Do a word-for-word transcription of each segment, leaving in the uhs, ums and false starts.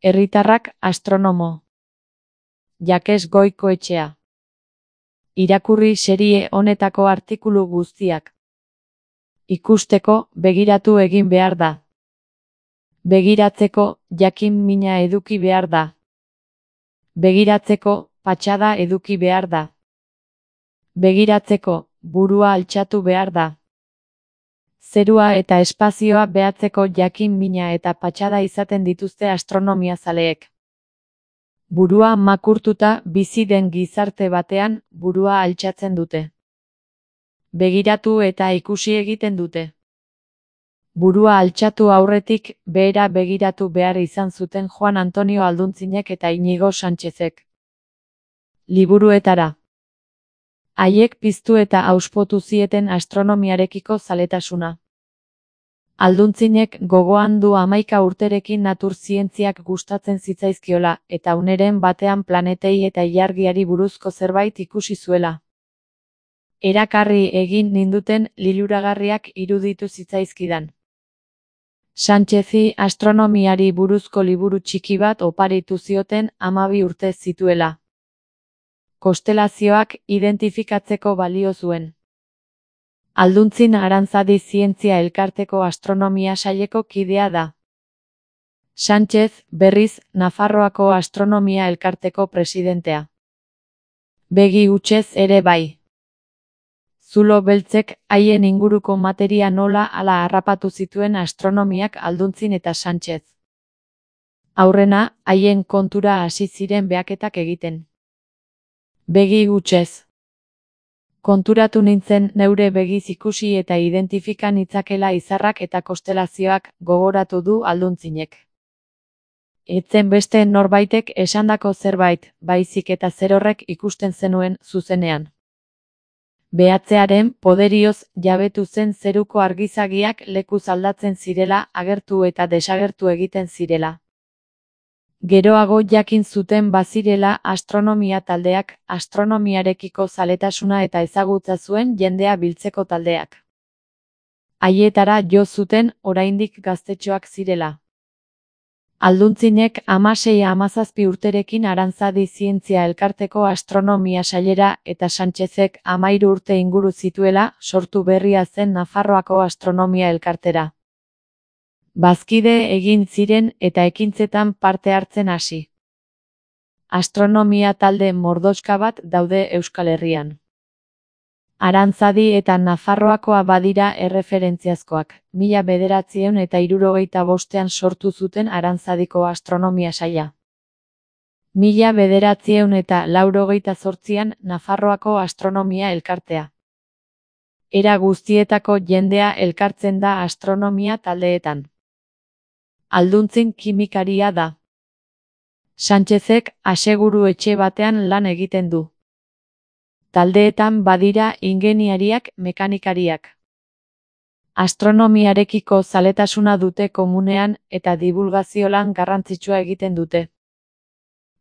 Herritarrak astronomo. Jakes Goikoetxea. Irakurri serie honetako artikulu guztiak. Ikusteko, begiratu egin behar da. Begiratzeko, jakin mina eduki behar da. Begiratzeko, patxada eduki behar da. Begiratzeko, burua altxatu behar da. Zerua eta espazioa behatzeko jakin mina eta patxada izaten dituzte astronomia zaleek. Burua makurtuta bizi den gizarte batean, burua altxatzen dute. Begiratu eta ikusi egiten dute. Burua altxatu aurretik, behera begiratu behar izan zuten Juan Antonio Alduntzinek eta Inigo Sánchezek. Liburuetara. Haiek piztu eta auspotu zieten astronomiarekiko zaletasuna. Alduntzinek gogoan du hamaika urterekin natur zientziak gustatzen zitzaizkiola, eta uneren batean planetei eta ilargiari buruzko zerbait ikusi zuela. Erakarri egin ninduten liluragarriak iruditu zitzaizkidan. Sánchezi astronomiari buruzko liburu txiki bat oparitu zioten hamabi urte zituela. Kostelazioak identifikatzeko balio zuen. Alduntzin Arantzadi Zientzia Elkarteko astronomia saileko kidea da. Sánchez, berriz, Nafarroako astronomia elkarteko presidentea. Begi hutsez ere bai. Zulo beltzek haien inguruko materia nola ala harrapatu zituen astronomiak Alduntzin eta Sánchez. Aurrena, haien kontura hasi ziren behaketak egiten. Begi hutsez. Konturatu nintzen neure begiz ikusi eta identifika nitzakela izarrak eta kostelazioak, gogoratu du Alduntzinek. Etzen beste norbaitek esandako zerbait, baizik eta zerorrek ikusten zenuen zuzenean. Behatzearen poderioz jabetu zen zeruko argizagiak lekuz aldatzen zirela, agertu eta desagertu egiten zirela. Geroago jakin zuten bazirela astronomia taldeak, astronomiarekiko zaletasuna eta ezagutza zuen jendea biltzeko taldeak. Haietara jo zuten oraindik gaztetxoak zirela. Alduntzinek hamasei hamazazpi urterekin Arantzadi Zientzia Elkarteko astronomia sailera eta Sánchezek hamahiru urte inguru zituela sortu berria zen Nafarroako astronomia elkartera. Bazkide egin ziren eta ekintzetan parte hartzen hasi. Astronomia talde mordoxka bat daude Euskal Herrian. Arantzadi eta Nafarroakoa badira erreferentziazkoak, mila bederatziehun eta hirurogeita bostean sortu zuten Arantzadiko astronomia saila. Mila bederatziehun eta laurogeita zortzian Nafarroako astronomia elkartea. Era guztietako jendea elkartzen da astronomia taldeetan. Alduntzin kimikaria da. Sánchezek aseguru etxe batean lan egiten du. Taldeetan badira ingeniariak, mekanikariak. Astronomiarekiko zaletasuna dute komunean eta divulgazio lan garrantzitsua egiten dute.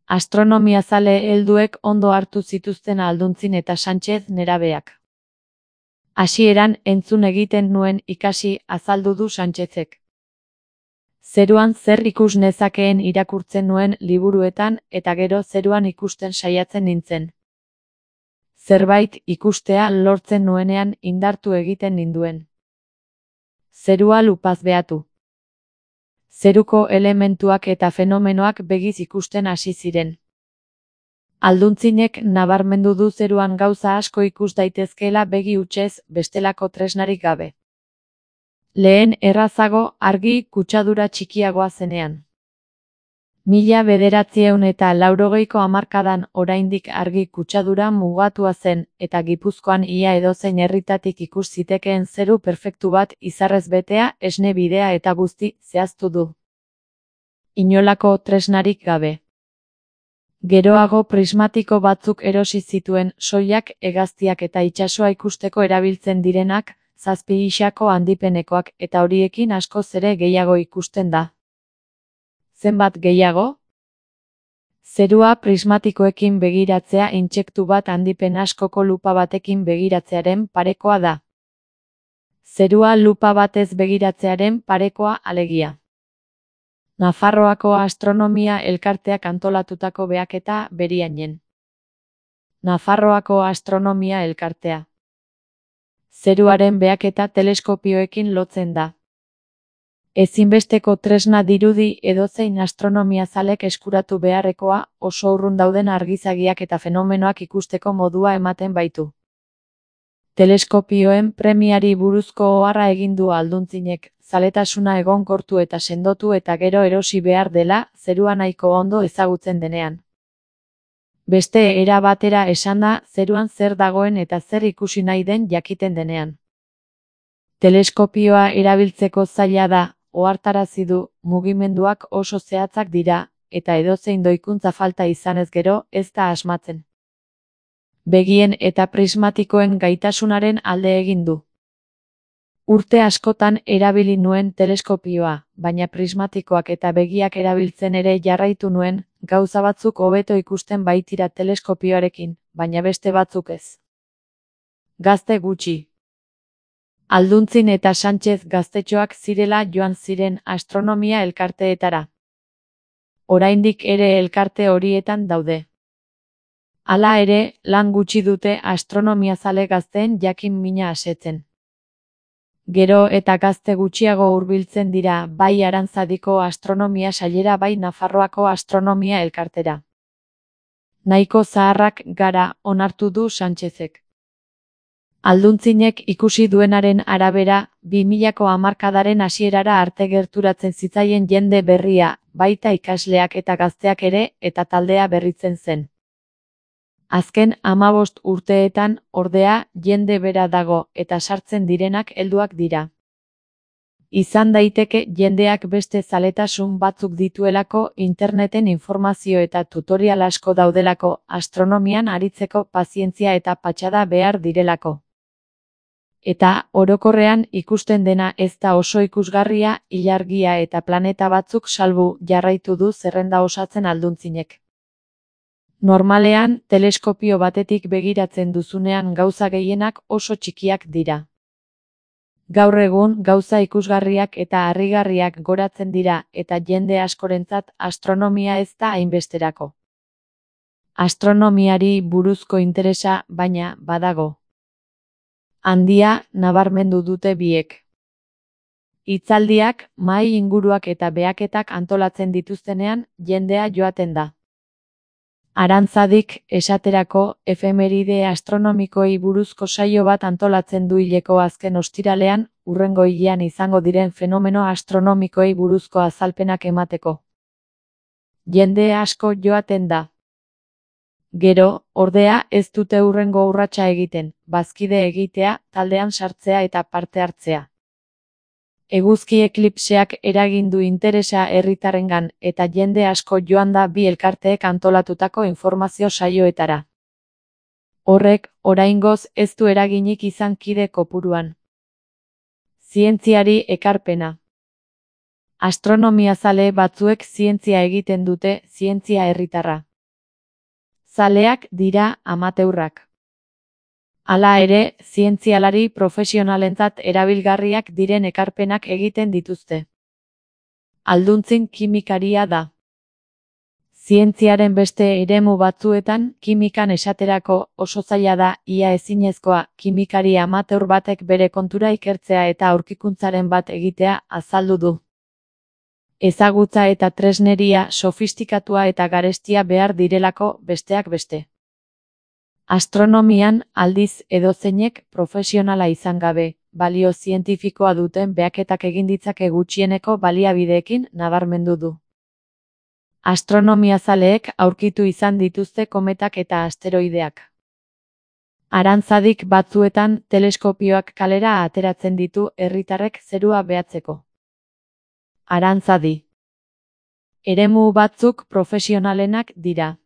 Astronomia zale helduek ondo hartu zituzten Alduntzin eta Sánchez nerabeak. Hasieran entzun egiten nuen ikasi azaldu du Sánchezek. Zeruan zer ikus nezakeen irakurtzen nuen liburuetan eta gero zeruan ikusten saiatzen nintzen. Zerbait ikustea lortzen nuenean indartu egiten ninduen. Zerua lupaz behatu. Zeruko elementuak eta fenomenoak begiz ikusten hasi ziren. Alduntzinek nabarmendu du zeruan gauza asko ikus daitezkeela begi hutsez bestelako tresnarik gabe. Lehen errazago argi kutsadura txikiagoa zenean. Mila bederatziehun eta laurogeiko hamarkadan oraindik argi kutsadura mugatua zen eta Gipuzkoan ia edozein herritatik ikus zitekeen zeru perfektu bat izarrez betea, esne bidea eta guzti zehaztu du. Inolako tresnarik gabe. Geroago prismatiko batzuk erosi zituen soilak, hegaztiak eta itsasoa ikusteko erabiltzen direnak, zazpi isako handipenekoak eta horiekin askoz ere gehiago ikusten da. Zenbat gehiago? Zerua prismatikoekin begiratzea intsektu bat handipen askoko lupa batekin begiratzearen parekoa da. Zerua lupa batez begiratzearen parekoa alegia. Nafarroako Astronomia Elkarteak antolatutako behaketa Beriainen. Nafarroako Astronomia Elkartea. Zeruaren behaketa teleskopioekin lotzen da. Ezinbesteko tresna dirudi edozein astronomiazalek eskuratu beharrekoa, oso urrun dauden argizagiak eta fenomenoak ikusteko modua ematen baitu. Teleskopioen premiari buruzko oharra egin du Alduntzinek, zaletasuna egonkortu eta sendotu eta gero erosi behar dela, zerua nahiko ondo ezagutzen denean. Beste era batera esanda, zeruan zer dagoen eta zer ikusi nahi den jakiten denean. Teleskopioa erabiltzeko zaila da, ohartarazi du, mugimenduak oso zehatzak dira, eta edozein doikuntza falta izanez gero, ez da asmatzen. Begien eta prismatikoen gaitasunaren alde egin du. Urte askotan erabili nuen teleskopioa, baina prismatikoak eta begiak erabiltzen ere jarraitu nuen, gauza batzuk hobeto ikusten baitira teleskopioarekin, baina beste batzuk ez. Gazte gutxi. Alduntzin eta Sánchez gaztetxoak zirela joan ziren astronomia elkarteetara. Oraindik ere elkarte horietan daude. Hala ere, lan gutxi dute astronomiazale gazteen jakin mina asetzen. Gero eta gazte gutxiago hurbiltzen dira bai Arantzadiko astronomia sailera bai Nafarroako astronomia elkartera. Nahiko zaharrak gara, onartu du Sánchezek. Alduntzinek ikusi duenaren arabera, bi milako hamarkadaren hasierara arte gerturatzen zitzaien jende berria, baita ikasleak eta gazteak ere, eta taldea berritzen zen. Azken hamabost urteetan, ordea, jende bera dago, eta sartzen direnak helduak dira. Izan daiteke jendeak beste zaletasun batzuk dituelako, interneten informazio eta tutorial asko daudelako, astronomian aritzeko pazientzia eta patxada behar direlako. Eta, orokorrean ikusten dena ez da oso ikusgarria, ilargia eta planeta batzuk salbu jarraitu du zerrenda osatzen Alduntzinek. Normalean, teleskopio batetik begiratzen duzunean gauza gehienak oso txikiak dira. Gaur egun, gauza ikusgarriak eta harrigarriak goratzen dira, eta jende askorentzat astronomia ez da hainbesterako. Astronomiari buruzko interesa, baina, badago. Handia, nabarmendu dute biek. Hitzaldiak, mahai inguruak eta behaketak antolatzen dituztenean, jendea joaten da. Arantzadik, esaterako, efemeride astronomikoei buruzko saio bat antolatzen du hileko azken ostiralean, hurrengo hilean izango diren fenomeno astronomikoei buruzko azalpenak emateko. Jende asko joaten da. Gero, ordea, ez dute hurrengo urratsa egiten, bazkide egitea, taldean sartzea eta parte hartzea. Eguzki eklipseak eragin du interesa herritarrengan eta jende asko joan da bi elkarteek antolatutako informazio saioetara. Horrek, oraingoz ez du eraginik izan kide kopuruan. Zientziari ekarpena. Astronomiazale batzuek zientzia egiten dute, zientzia herritarra. Zaleak dira amateurrak. Hala ere, zientzialari profesionalentzat erabilgarriak diren ekarpenak egiten dituzte. Alduntzin kimikaria da. Zientziaren beste eremu batzuetan, kimikan esaterako oso zaila da, ia ezinezkoa, kimikari amateur batek bere kontura ikertzea eta aurkikuntzaren bat egitea azaldu du. Ezagutza eta tresneria sofistikatua eta garestia behar direlako besteak beste. Astronomian, aldiz edozeinek profesionala izan gabe, balio zientifikoa duten behaketak egin ditzake gutxieneko baliabideekin nabarmendu du. Astronomiazaleek aurkitu izan dituzte kometak eta asteroideak. Arantzadik batzuetan teleskopioak kalera ateratzen ditu herritarrek zerua behatzeko. Arantzadi. Eremu batzuk profesionalenak dira.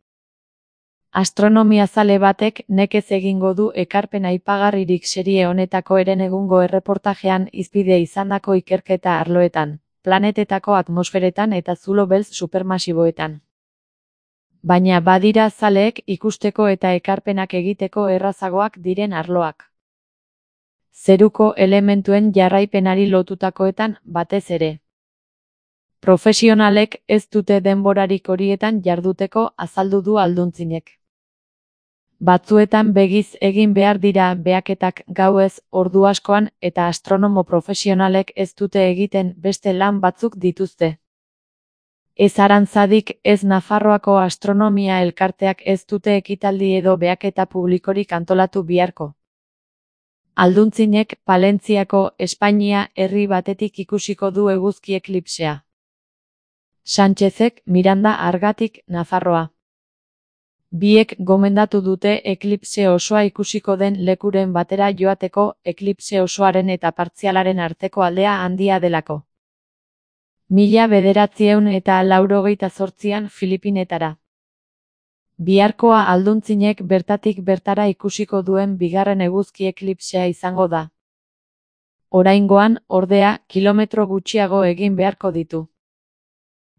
Astronomiazale batek nekez egingo du ekarpen aipagarririk serie honetako herenegungo erreportajean hizpide izandako ikerketa arloetan, planetetako atmosferetan eta zulo beltz supermasiboetan. Baina badira zaleek ikusteko eta ekarpenak egiteko errazagoak diren arloak. Zeruko elementuen jarraipenari lotutakoetan batez ere. Profesionalek ez dute denborarik horietan jarduteko azaldu du alduntzinek. Batzuetan begiz egin behar dira behaketak gauez ordu askoan eta astronomo profesionalek ez dute egiten beste lan batzuk dituzte. Ez Arantzadik ez Nafarroako Astronomia Elkarteak ez dute ekitaldi edo behaketa publikorik antolatu biharko. Alduntzinek Palentziako Espainia herri batetik ikusiko du eguzki eklipsea. Sánchezek Miranda Argatik Nafarroa. Biek gomendatu dute eklipse osoa ikusiko den lekuren batera joateko eklipse osoaren eta partzialaren arteko aldea handia delako. Mila bederatziehun eta laurogeita zortzian Filipinetara. Biharkoa alduntzinek bertatik bertara ikusiko duen bigarren eguzki eklipsea izango da. Oraingoan, ordea, kilometro gutxiago egin beharko ditu.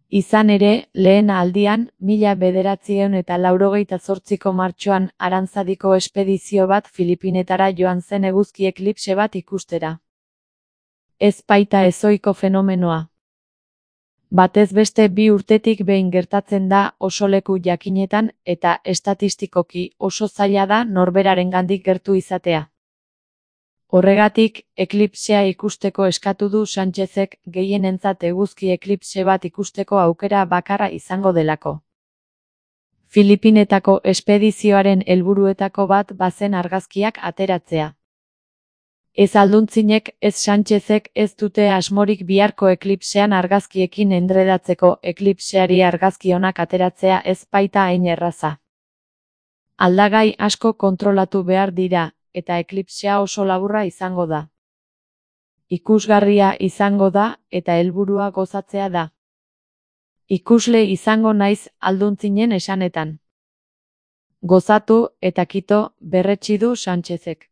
Izan ere, lehen aldian, mila bederatziehun eta laurogeita zortziko martxoan Arantzadiko espedizio bat Filipinetara joan zen eguzki eklipse bat ikustera. Ez baita ezohiko fenomenoa. Batez beste bi urtetik behin gertatzen da oso leku jakinetan eta estatistikoki oso zaila da norberarengandik gertu izatea. Horregatik, eklipsea ikusteko eskatu du Sánchezek gehienentzat eguzki eklipse bat ikusteko aukera bakarra izango delako. Filipinetako espedizioaren helburuetako bat bazen argazkiak ateratzea. Ez alduntzinek ez Sánchezek ez dute asmorik biharko eklipsean argazkiekin endredatzeko eklipseari argazki onak ateratzea ez baita hain erraza. Aldagai asko kontrolatu behar dira, eta eklipsea oso laburra izango da. Ikusgarria izango da, eta helburua gozatzea da. Ikusle izango naiz alduntzinen esanetan. Gozatu eta kito berretsi du Sánchezek.